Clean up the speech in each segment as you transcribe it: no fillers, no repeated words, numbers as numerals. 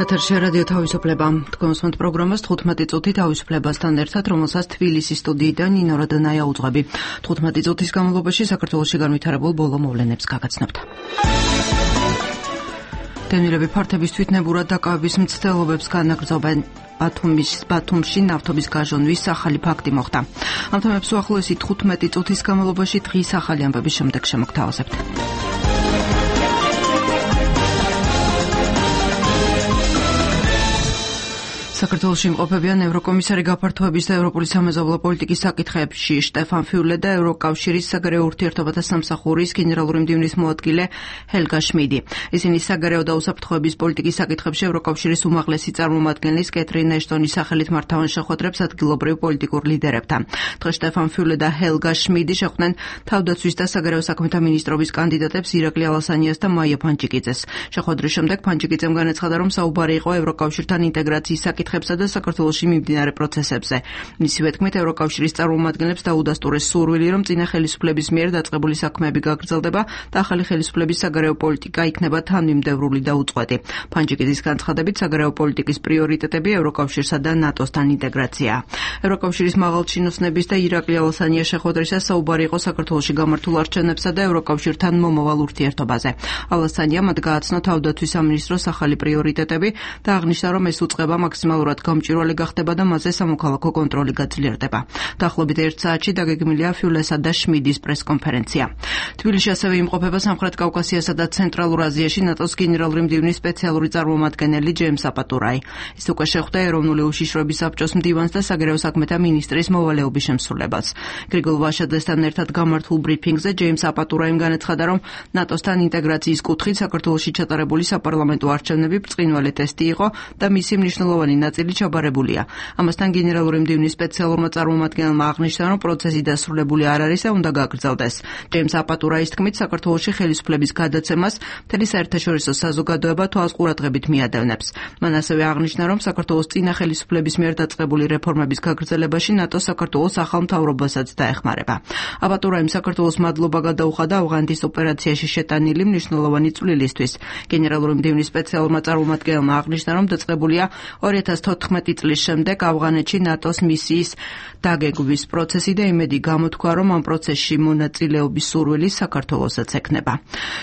ეთერში რადიო თავისუფლება. თქვენს პროგრამას 15 წუთი თავისუფლებასთან ერთად, რომელსაც თბილისის სტუდიიდან ნინო რადანაია უძღვები. 15 წუთის განმავლობაში საქართველოში განვითარებულ ბოლო მოვლენებს გაგაცნობთ. დევნილები ფართების თვითნებურად დაკავების მცდელობებს განაგრძობენ. ბათუმში ნავთობის გაჟონვის ახალი ფაქტი მოხდა. ამ თემებს უახლოესი 15 წუთის განმავლობაში დღის ახალი ამბების შემდეგ შემოგთავაზებთ. საქართველოში იმყოფებიან ევროკომისარი გაფართოების და ევროპული სამეზობლო პოლიტიკის საკითხებში შტეფან ფიულე და ევროკავშირის საგარეო ურთიერთობათა სამსახურის გენერალური მდივნის მოადგილე ჰელგა შმიდი. ისინი საგარეო და უსაფრთხოების პოლიტიკის საკითხებში ევროკავშირის უმაღლესი წარმომადგენლის კეთრინ ეშტონის სახელით მართავენ შეხვედრებს ადგილობრივ პოლიტიკურ ლიდერებთან. დღეს შტეფან ფიულე და ჰელგა შმიდი შეხვდნენ თავდაცვის და საგარეო საქმეთა მინისტრობის კანდიდატებს ირაკლი ალასანიას და მაია ფანჯიკიძეს. შეხვედრის შემდეგ ფანჯიკიძემ განაცხადა, რომ საუბარი იყო ევროკავშირთან ინტეგრაციის საკითხებზე და საქართველოში მიმდინარე პროცესებზე. მისივე თქმით, ევროკავშირის წარმომადგენლებს დაუდასტურეს სურვილი, რომ წინა ხელისუფლების მიერ დაწყებული საქმეები გაგრძელდება და ახალი ხელისუფლების საგარეო პოლიტიკა იქნება თანმიმდევრული და უწყვეტი. ფანჯიკიძის განცხადებით, საგარეო პოლიტიკის პრიორიტეტები ევროკავშირსა და ნატოსთან ინტეგრაციაა. ევროკავშირის მაღალჩინოსნების და ირაკლი ალასანიას შეხვედრისას საუბარი იყო საქართველოში გამართულ არჩევნებსა და ევროკავშირთან მომავალ ურთიერთობაზე. ალასანია მათ გააცნო თავდაცვის სამინისტროს ახალი პრიორიტეტები და აღნიშნა, რომ ეს უწყება მაქსიმალურად გამჭვირვალე გახდება და მასზე სამოქალაქო კონტროლი გაძლიერდება. დაახლოებით 1 საათში დაგეგმილია ფიულესა და შმიდის პრესკონფერენცია. თბილისში ასევე იმყოფება სამხრეთ კავკასიასა და ცენტრალურ აზიაში ნატოს გენერალური მდივნის სპეციალური წარმომადგენელი ჯეიმს აპატურაი. ის უკვე შეხვდა ეროვნული უშიშროების საბჭოს მდივანს და საგარეო საქმეთა მინისტრის მოვალეობის შემსრულებელს. გრიგოლ ვაშაძესთან ერთად გამართულ ბრიფინგზე ჯეიმს აპატურაიმ განაცხადა, რომ ნატოსთან ინტეგრაციის კუთხით საქართველოში ჩატარებული საპარლამენტო არჩევნები ბრწყინვალე ტესტი იყო და მისი მნიშვნელოვანი ნაწილი ჩაბარებულია. ამასთან გენერალური მდივნის სპეციალურმა წარმომადგენელმა აღნიშნა, რომ პროცესი დასრულებული არ არის და უნდა გაგრძელდეს. ჯეიმს აპატურაის თქმით, საქართველოში ხელისუფლების გადაცემას მთელი საერთაშორისო საზოგადოება თვალს ყურადღებით მიადევნებს. მან ასევე აღნიშნა, რომ საქართველოს წინა ხელისუფლების მიერ დაწყებული რეფორმების გაგრძელებაში ნატო საქართველოს ახალ მთავრობასაც დაეხმარება. აპატურაიმ საქართველოს მადლობა გადაუხადა ავღანეთის ოპერაციაში შეტანილი მნიშვნელოვანი წვლილისთვის. გენერალური მდივნის სპეციალურმა წარმომადგენელმა აღნიშნა, რომ დაწყებულია 2014 წლის შემდეგ ავღანეთში ნატოს მისიის დაგეგმვის პროცესი და იმედი გამოთქვა, რომ ამ პროცესში მონაწილეობის სურვილი საქართველოსაც ექნება.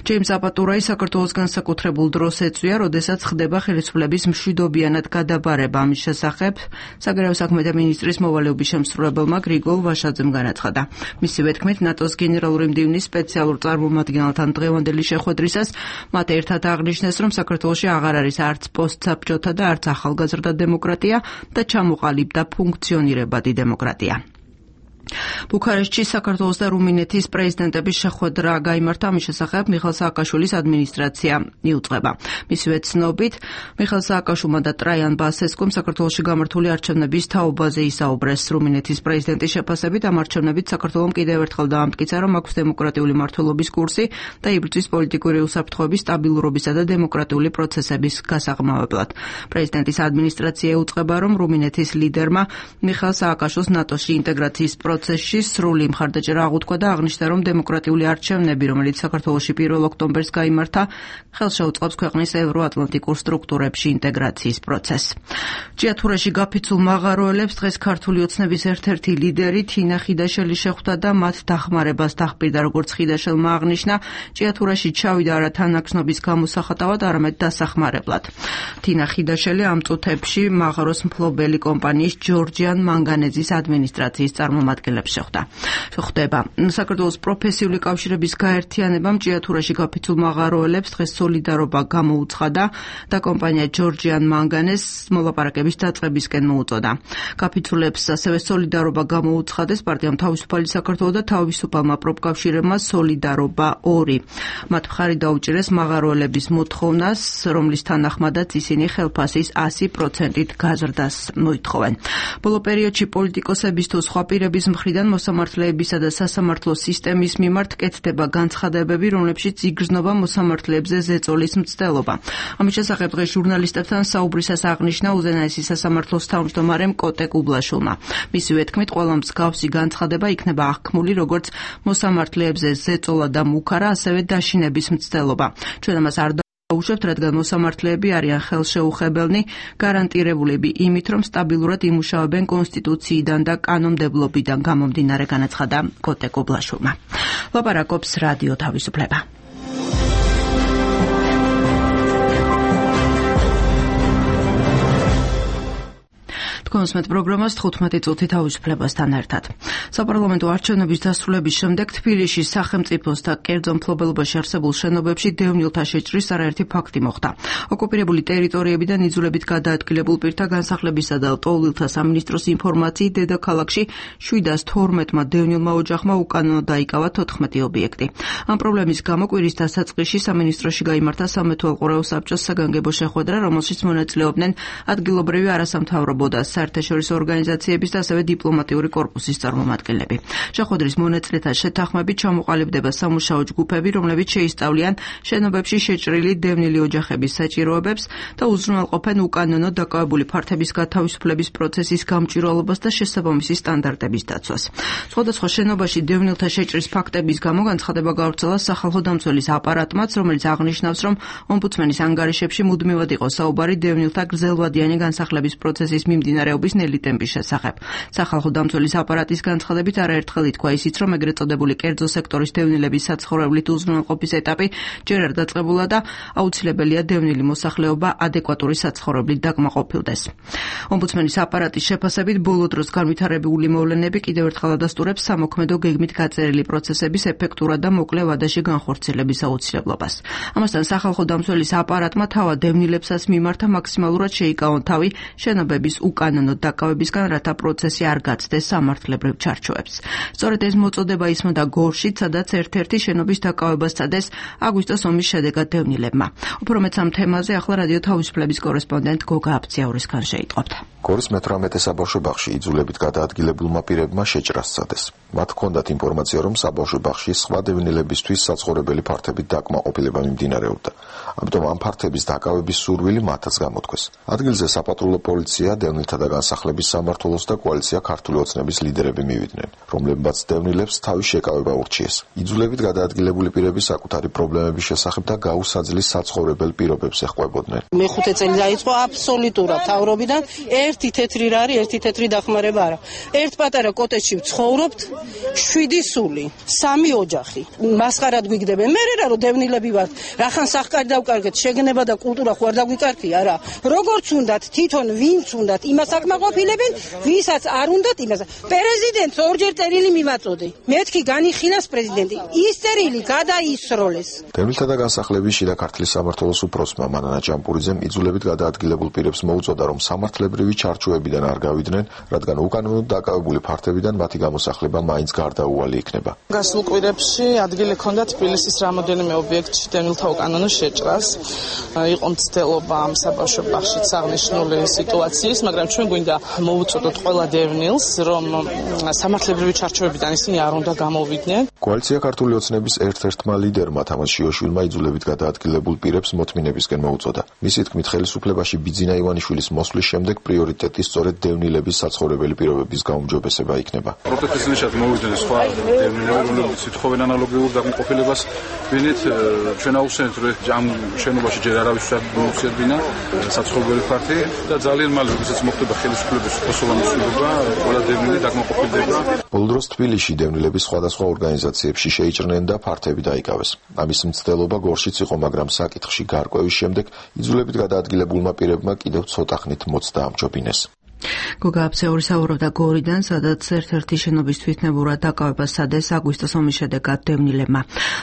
ჯეიმს აპატურაი საქართველოს განსაკუთრებულ დროს ეწვია, როდესაც ხდება ხელისუფლების მშვიდობიანად გადაბარება. ამის შესახებ საგარეო საქმეთა მინისტრის მოვალეობის შემსრულებელმა გრიგოლ ვაშაძემ განაცხადა. მისივე თქმით, ნატოს გენერალური მდივნის სპეციალურ წარმომადგენელთან დღევანდელი შეხვედრისას მათ ერთად აღნიშნეს, რომ საქართველოში აღარ არის არც პოსტსაბჭოთა და არც ახალგაზრდა დემოკრატია და ჩამოყალიბდა ფუნქციონირებადი დემოკრატია. ბუქარესტში საქართველოს და რუმინეთის პრეზიდენტების შეხვედრა გაიმართა. ამის შესახებ მიხეილ სააკაშვილის ადმინისტრაცია იუწყება. მისივე ცნობით, მიხეილ სააკაშვილმა და ტრაიან ბასესკუმ საქართველოში გამართული არჩევნების თაობაზე ისაუბრეს. რუმინეთის პრეზიდენტის შეფასებით, ამ არჩევნებით საქართველომ კიდევ ერთხელ დაამტკიცა, რომ აქვს დემოკრატიული მმართველობის კურსი და იბრძვის პოლიტიკური უსაფრთხოების, სტაბილურობისა და დემოკრატიული პროცესების გასაღრმავებლად. პრეზიდენტის ადმინისტრაცია იუწყება, რომ რუმინეთის ლიდერმა მიხეილ სააკაშვილს ნატოში ინტეგრაციის პროცესში სრული მხარდაჭერა აღუთქვა და აღნიშნა, რომ დემოკრატიული არჩევნები, რომელიც საქართველოში 1 ოქტომბერს გაიმართა, ხელშეუწყობს ქვეყნის ევროატლანტიკურ სტრუქტურებში ინტეგრაციის პროცესს. ჭიათურაში გაფიცულ მაღაროელებს დღეს ქართული ოცნების ერთ-ერთი ლიდერი თინა ხიდაშელი შეხვდა და მათ დახმარებას დახპირდა. როგორც ხიდაშელმა აღნიშნა, ჭიათურაში ჩავიდა არა თანაგზნობის გამოსახატავად, არამედ დასახმარებლად. თინა ხიდაშელი ამ წუთებში მაღაროს მფლობელი კომპანიის ჯორჯიან მანგანეზის ადმინისტრაციის წარმომადგენლებს შეხვდება. საქართველოს პროფესიული კავშირების გაერთიანებამ ჭიათურაში გაფიცულ მაღაროელებს დღეს სოლიდარობა გამოუცხადა და კომპანია ჯორჯიან მანგანეზს მოლაპარაკების დაწყებისკენ მოუწოდა. გაფიცულებს ასევე სოლიდარობა გამოუცხადეს პარტიამ თავისუფალი საქართველო და თავისუფალმა პროფკავშირებმა სოლიდარობა 2. მათ მხარი დაუჭირეს მაღაროელების მოთხოვნას, რომლის თანახმადაც ისინი ხელფასის 100%-ით გაზრდას მოითხოვენ. ბოლო პერიოდში პოლიტიკოსების თუ სხვა პირების მხრიდან მოსამართლეებისა და სასამართლო სისტემის მიმართ კეთდება განცხადებები, რომლებშიც იგრძნობა მოსამართლეებზე ზეწოლის მცდელობა. ამის შესახებ დღეს ჟურნალისტებთან საუბრისას აღნიშნა უზენაესი სასამართლოს თავმჯდომარემ კოტე კუბლაშვილმა. მისივე თქმით, ყველა მსგავსი განცხადება იქნება აღქმული როგორც მოსამართლეებზე ზეწოლა და მუქარა, ასევე დაშინების მცდელობა. ჩვენ ამას არ უშვებთ, რადგან მოსამართლეები არიან ხელშეუხებელნი, გარანტირებულები იმით, რომ სტაბილურად იმუშავებენ კონსტიტუციიდან და კანონმდებლობიდან გამომდინარე, განაცხადა კოტე კობლაშვილმა. ლაპარაკობს რადიო თავისუფლება. თქვენს პროგრამას 15 წუთი თავისუფლებასთან ერთად. საპარლამენტო არჩევნების დასრულების შემდეგ თბილისში სახელმწიფოს და კერძო მფლობელობაში არსებულ შენობებში დევნილთა შეჭრის არაერთი ფაქტი მოხდა. ოკუპირებული ტერიტორიებიდან იძულებით გადაადგილებულ პირთა განსახლებისა და ტოვლილთა სამინისტროს ინფორმაციით დედაქალაქში 712-მა დევნილმა ოჯახმა უკანონო დაიკავა 14 ობიექტი. ამ პრობლემის გამო კვირის დასაწყისში სამინისტროში გაიმართა სამეთვალყურეო საბჭოს საგანგებო შეხვედრა, რომელშიც მონაწილეობდნენ ადგილობრივი არასამთავრობო და საერთაშორისო ორგანიზაციების და ასევე დიპლომატიური კორპუსის წარმომადგენლები. შეხვედრის მონაწილეთა შეთანხმებით ჩამოყალიბდება სამუშაო ჯგუფები, რომლებიც შეისწავლიან შენობებში შეჭრილი დევნილი ოჯახების საჭიროებებს და უზრუნველყოფენ უკანონო დაკავებული ფართების გათავისუფლების პროცესის გამჭვირვალობას და შესაბამისი სტანდარტების დაცვას. სხვადასხვა შენობაში დევნილთა შეჭრის ფაქტების გამო განცხადება გავრცელა სახალხო დამცველის აპარატმაც, რომელიც აღნიშნავს, რომ ომბუდსმენის ანგარიშებში მუდმივად იყო საუბარი დევნილთა გრძელვადიანი განსახლების პროცესის მიმდინარეობის ნელი ტემპის შესახებ. სახალხო დამცველის აპარატის განცხადებით არაერთხელ ითქვა ისიც, რომ ეგრეთ წოდებული კერძო სექტორის დევნილების საცხოვრებლით უზრუნველყოფის ეტაპი ჯერ არ დაწყებულა და აუცილებელია დევნილი მოსახლეობა ადეკვატური საცხოვრებლით დაკმაყოფილდეს. ომბუდსმენის აპარატის შეფასებით ბოლო დროს განვითარებული მოვლენები კიდევ ერთხელ ადასტურებს სამოქმედო გეგმით გაწერილი პროცესების ეფექტურად და მოკლე ვადაში განხორციელების აუცილებლობას. ამასთან სახალხო დამცველის აპარატმა თავად დევნილებსაც მიმართა მაქსიმალურად შეიკავონ თავი შენობების უკანონო დაკავებისგან, რათა პროცესი არ გაცდეს სამართლებრივ ჩარჩოებს. სწორედ ეს მოწოდება ისმოდა გორშიც, სადაც ერთ-ერთი შენობის დაკავებას სცადეს აგვისტოს ომის შედეგად დევნილებმა. უფრო მეც ამ თემაზე ახლა რადიო თავისუფლების კორესპონდენტ გოგა აბციაურისგან შეიტყობთ. გორის მე-18 საბავშვო ბაღში იძულებით გადაადგილებულმა პირებმა შეჭრა სცადეს. მათ ჰქონდათ ინფორმაცია, რომ საბავშვო ბაღში სხვა დევნილებისთვის საცხოვრებელი ფართებით დაკმაყოფილება მიმდინარეობდა. ამიტომ ამ ფართების დაკავების სურვილი მათაც გამოთქვეს. ადგილზე საპატრულო პოლიცია, დევნილთა და განსახლების სამმართველოს და კოალიცია ქართული ოცნების ლიდერები მივიდნენ, რომლებმაც დევნილებს თავის შეკავება ურჩიეს. იძულებით გადაადგილებული პირები საკუთარი პრობლემების შესახებ და გაუსაძლის საცხოვრებელ პირობებს ეხვებოდნენ. მე-5 წელი დაიწყო აბსოლუტურად თავრობიდან ერთი თეთრი რა არის, ერთი თეთრი დახმარება არა. ერთ პატარა კოტეჯში ვცხოვრობთ, 7 სული, 3 ოჯახი. მასხარად გვიგდებენ. მე რა რომ დევნილები ვართ, რახან სახკარი დავკარგეთ, შეგნება და კულტურა ხო არ დაგვიკარგია რა. როგორც უნდათ, თვითონ ვინც უნდათ, იმას აკმაყოფილებენ, ვისაც არ უნდათ იმას. პრეზიდენტს ორჯერ წერილი მივაწოდე. მეთქი განიხილას პრეზიდენტი. ის წერილი გადაისროლეს. დევნილთა და განსახლების შიდა ქართლის სამმართველოს უფროსმა მანანა ჭამპურიძემ იძულებით გადაადგილებულ პირებს მოუწოდა, რომ სამართლებრივი ჩარჩოებიდან არ გავიდნენ, რადგან უკანონოდ დაკავებული ფართებიდან მათი გამოსახლება მაინც გარდაუვალი იქნება. გასულ კვირებში ადგილი ჰქონდა თბილისის რამოდენიმე ობიექტში დევნილთა უკანონო შეჭრას. იყო მცდელობა ამ საბავშვო ბაღშიც აღნიშნული სიტუაციის, მაგრამ ჩვენ გვინდა მოვუწოდოთ ყველა დევნილს, რომ სამართლებრივი ჩარჩოებიდან ისინი არ უნდა გამოვიდნენ. კოალიცია ქართული ოცნების ერთ-ერთმა ლიდერმა თამაზ შიოშვილმა იძულებით გადაადგილებულ პირებს მოთმინებისკენ მოუწოდა. მისი თქმით, ხელისუფლებაში ბიძინა ივანიშვილის მოსვლის შემდეგ პრიორიტეტი სწორედ დევნილების საცხოვრებელი პირობების გაუმჯობესება იქნება. პროტესტისნეშად მოვიდნენ სხვა დევნილები, რომლებიც ითხოვენ ანალოგიურ დაკმაყოფილებას. ვინით ჩვენ აუხსენეთ, რომ ამ შენობაში ჯერ არავის მოუწედებინა საცხოვრებელი ფართი და ძალიან მალე, როდესაც მოხდება ხელისუფლების ხოსოვანისობა, ყველა დევნილი დაკმაყოფილდება. ბოლო დროს თბილისში დევნილების სხვადასხვა ორგანიზაციებში შეიჭრნენ და ფართები დაიკავეს. ამის მცდელობა გორშიც იყო, მაგრამ საკითხში გარკვევის შემდეგ იძულებით გადაადგილებულმა პირებმა კიდევ ცოტა ხნით მოცდა ამჯობინეს. გოგა აბციაური საუბრობდა გორიდან, სადაც ერთ-ერთი შენობის თვითნებურად დაკავებას სცადეს აგვისტოს ომის შედეგად დევნილებმა.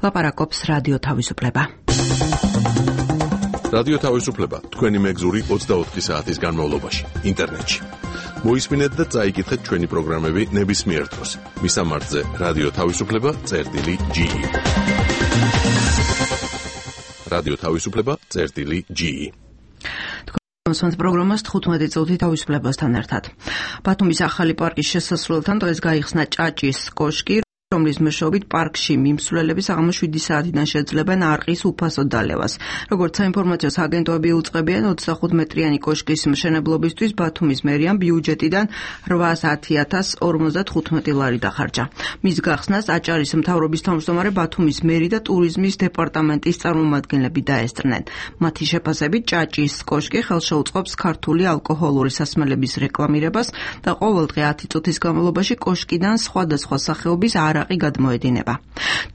ლაპარაკობს რადიო თავისუფლება. რადიო თავისუფლება თქვენი მეგზური 24 საათის განმავლობაში ინტერნეტში. მოისმინეთ და წაიკითხეთ ჩვენი პროგრამები ნებისმიერ დროს. მისამართზე რადიო თავისუფლება.ge. რადიო თავისუფლება.ge. მოსმენთ პროგრამას 15 წუთი თავისუფლებასთან ერთად. ბათუმის ახალი პარკის შესასრულთან დღეს გაიხსნა ჭაჭის კოშკი. რომლის მეშვეობით პარკში მიმსვლელები საღამოს 7 საათიდან შეძლებენ არყის უფასო დალევას. Როგორც საინფორმაციო აგენტოები უწყებიან 25 მეტრიანი კოშკის მშენებლობისთვის ბათუმის მერიამ ბიუჯეტიდან 810,055 ლარი დახარჯა. მის გახსნას აჭარის მთავრობის თავმჯდომარე ბათუმის მერი და ტურიზმის დეპარტამენტის წარმომადგენლები დაესწრნენ. მათი შეფასებით ჭაჭის კოშკი ხელშეუწყობს ქართული ალკოჰოლური სასმელების რეკლამირებას და ყოველდღე 10 წუთის განმავლობაში კოშკიდან სხვადასხვა სახეობის არაყი გადმოედინება.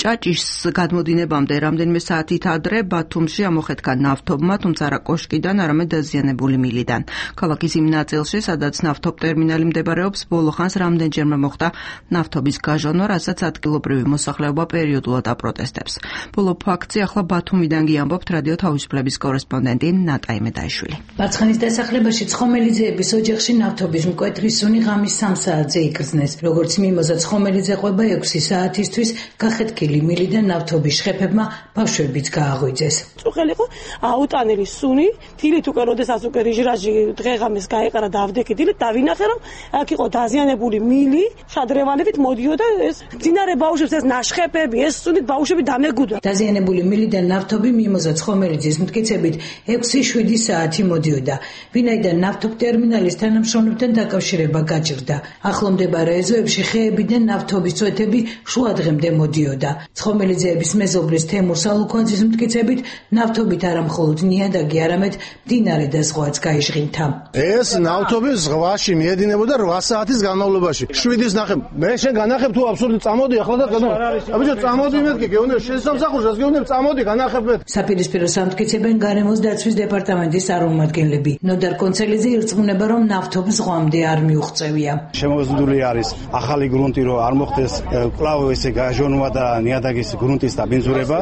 ჭაჭის გადმოდინებამდე რამდენიმე საათით ადრე ბათუმში ამოხეთქა ნავთობმა, თუმცა არა კოშკიდან, არამედ დაზიანებული მილიდან. ქალაქის იმ ნაწილში, სადაც ნავთობ ტერმინალი მდებარეობს, ბოლო ხანს რამდენჯერმე მოხდა ნავთობის გაჟონვა, რასაც ადგილობრივი მოსახლეობა პერიოდულად აპროტესტებს. ბოლო ფაქტი ახლა ბათუმიდან გიამბობთ რადიო თავისუფლების კორესპონდენტი ნატაი მედაიშვილი. ბაცხანის დასახლებაში ცხომელიძეების ოჯახში ნავთობის მკვეთრი სუნი ღამის 3 საათზე იკრძნეს. როგორც მიმოზა ცხომელიძე ყვება 6 საათისთვის გახეთქილი მილიდან ნავთობის შხეფებმა ბავშვებიც გააღვიძეს. წუხელიყო აუტანელი სუნი, თილით უკვე როდესაც უკვე რიჟრაჟი დღეღამეს გაეყარა და ავდექიდილი დავინახე რომ აქ იყო დაზიანებული მილი, შადრევანებით მოდიოდა ეს ძინარე ბავშვებს ეს ნაშხეფები, ეს სუნით ბავშვები დამეგუდა. დაზიანებული მილიდან ნავთობი მიმოზა ცხომელიძის მტკიცებით 6-7 საათი მოდიოდა. ვინაიდან ნავთობ ტერმინალის თანამშრომლებთან დაკავშირება გაჭირდა. ახლომდებარე ეზოებში ხეებიდან ნავთობის წვეთები შუა დღემდე მოდიოდა. ცხომელიძეების მეზობლის თემურ სალუქვაძის მტკიცებით ნავთობით არა მხოლოდ ნიადაგი, არამედ მდინარე და სხვაც გაიჟღინთა. ეს ნავთობი ზღვაში მიედინებოდა 8 საათის განმავლობაში. 7-ის ნახე. მე შენ განახებ თუ აბსურდი წამოდი ახლა და განახებ. აბიჯო წამოდი მეთქი, გეუნებ შესამსახურს, გეუნებ წამოდი განახებ მე. საპირისპირო სამტკიცებენ გარემოს დაცვის დეპარტამენტის წარმომადგენლები. ნოდარ კონცელიძე ირწმუნება, რომ ნავთობ ზღვამდე არ მიუღწევია. შემოზღუდული არის ახალი გრუნტი, რომ არ მოხდეს კვლავ ესე გაჟონვა და ნიადაგის გრუნტის დაბინძურება.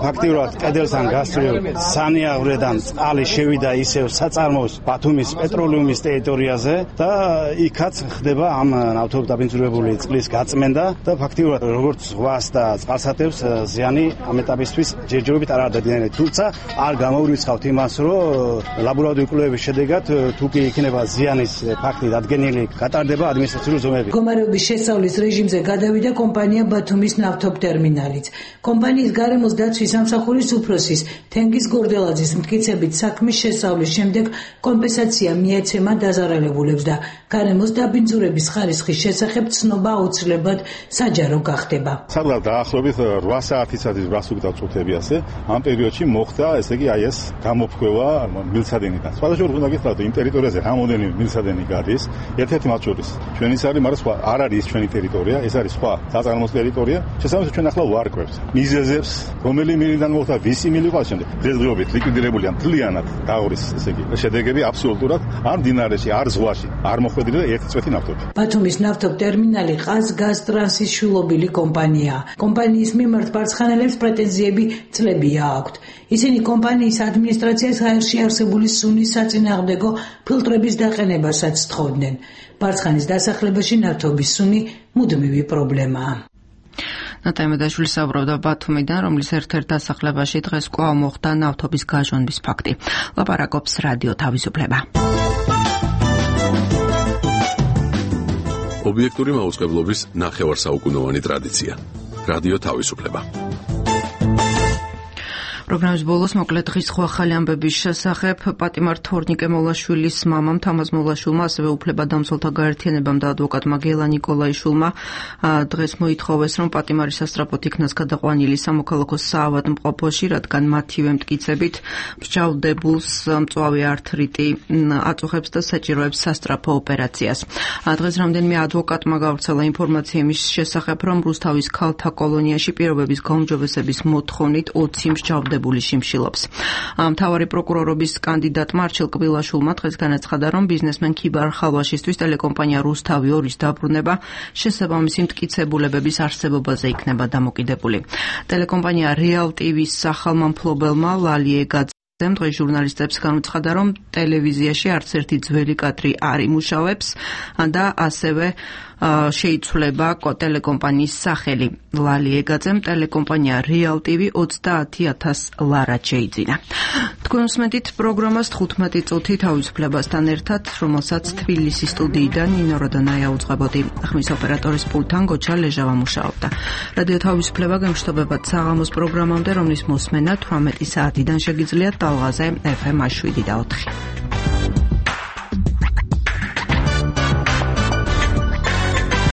ფაქტიურად კედელთან გასწრილ სანიაღვრედან წყალი შევიდა ისევ საწარმოს ბათუმის პეტროლიუმის ტერიტორიაზე და იქაც ხდება ამ ნავთობ დაბინძურებული წყლის გაწმენდა და ფაქტიურად როგორც ზღვას და წყალსატევს ზიანი ამ ეტაპისთვის ჯერჯერობით არ დადიანეთ. თუმცა არ გამოვრიცხავთ იმას, რომ ლაბორატორიული კვლევების შედეგად თუ კი იქნება ზიანის ფაქტი დადგენილი, გატარდება ადმინისტრაციული ზომები. მდგომარეობის შესწავლის რეჟიმზე გადავიდა კომპანია ბათუმის ნავთობ ტერმინალიც. კომპანიის გარემოს დაცვის სამსახურის უფროსის თენგიზ გორდელაძის მტკიცებით საქმის შესწავლის შემდეგ კომპენსაცია მიეცემა დაზარალებულებს და გარემოს დაბინძურების ხარისხის შესახებ ცნობა აუცილებლად საჯარო გახდება. სადღაც დაახლოებით 8 საათისათვის გასუგდა წუთები ასე. ამ პერიოდში მოხდა ესე იგი აი ეს გამოფხვევა მილსადენიდან. სხვადასხვა უნდა გითხრათ იმ ტერიტორიაზე რამოდენი მილსადენი გადის. ერთ-ერთი მათ შორის ჩვენი არის, მაგრამ სხვა არ არის ჩვენი ტერიტორია, ეს არის სხვა საწარმოს ტერიტორია. შესაბამისად ჩვენ ახლა ვარკვევს მიზეზებს, რომელი მილიდან მოხდა, ვისი მილი ყავს შემდეგ. დღესდღეობით ლიკვიდირებულია მთლიანად დაღურის ესე იგი შედეგები აბსოლუტურად არ მდინარეში, არ ზღვაში, არ მოხვედრილი და ერთი წვეთი ნავთობი. ბათუმის ნავთობ ტერმინალი ყაზგაზტრანსის შვილობილი კომპანიაა. კომპანიის მიმართ ბარცხანელებს პრეტენზიები წლებია აქვთ. ისინი კომპანიის ადმინისტრაციას აერში არსებული სუნის საწინააღმდეგო ფილტრების დაყენებასაც თხოვდნენ. ბარცხანის დასახლებაში ნავთობის სუნი მუდმივი პრობლემაა. ნატაი მედაიშვილი საუბრობდა ბათუმიდან, რომლის ერთ-ერთ დასახლებაში დღეს კვლავ მოხდა ნავთობის გაჟონვის ფაქტი. ლაპარაკობს რადიო თავისუფლება. ობიექტური მაუწყებლობის ნახევარსაუკუნოვანი ტრადიცია. რადიო თავისუფლება. პროგრამის ბოლოს მოკლედ დღის სხვა ახალი ამბების შესახებ პატიმარ თორნიკე მოლაშვილის მამამ თამაზ მოლაშვილმა, ასევე უფლებადამცველთა გაერთიანებამ და ადვოკატმა გელა ნიკოლაიშვილმა დღეს მოითხოვეს, რომ პატიმარი სასწრაფოდ იქნას გადაყვანილი სამოქალაქო საავადმყოფოში, რადგან მათივე მტკიცებით მსჯავრდებულს მწვავე ართრიტი აწუხებს და საჭიროებს სასწრაფო ოპერაციას. დღეს რამდენიმე ადვოკატმა გავრცელა ინფორმაცია იმის შესახებ, რომ რუსთავის ქალთა კოლონიაში პირობების გაუმჯობესების მოთხოვნით 20 მსჯავრდებული შიმშილობს. მთავარი პროკურორობის კანდიდატმა არჩილ კბილაშვილმა დღეს განაცხადა, რომ ბიზნესმენ ქიბარ ხალვაშისთვის ტელეკომპანია რუსთავი 2-ის დაბრუნება შესაბამისი მტკიცებულებების არსებობაზე იქნება დამოკიდებული. ტელეკომპანია რეალ TV-ს სახალმა მფლობელმა ლალიე დღეს ჟურნალისტებს განუცხადა, რომ ტელევიზიაში არც ერთი ძველი კადრი არ იმუშავებს და ასევე შეიცვლება ტელეკომპანიის სახელი. ლალი ეგაძემ ტელეკომპანია Real TV 30,000 ლარად შეიძინა. თქვენ უსმენთ პროგრამას 15 წუთი თავისუფლებასთან ერთად, რომელსაც თბილისის სტუდიიდან ნინო როდონაია უძღვებოდი. ხმის ოპერატორის პულტთან გოჩა ლეჟავა მუშაობდა. რადიო თავისუფლება გემშვიდობებად საღამოს პროგრამამდე, რომლის მოსმენა 18 საათიდან შეგიძლიათ ტალღაზე FM 7 და 4.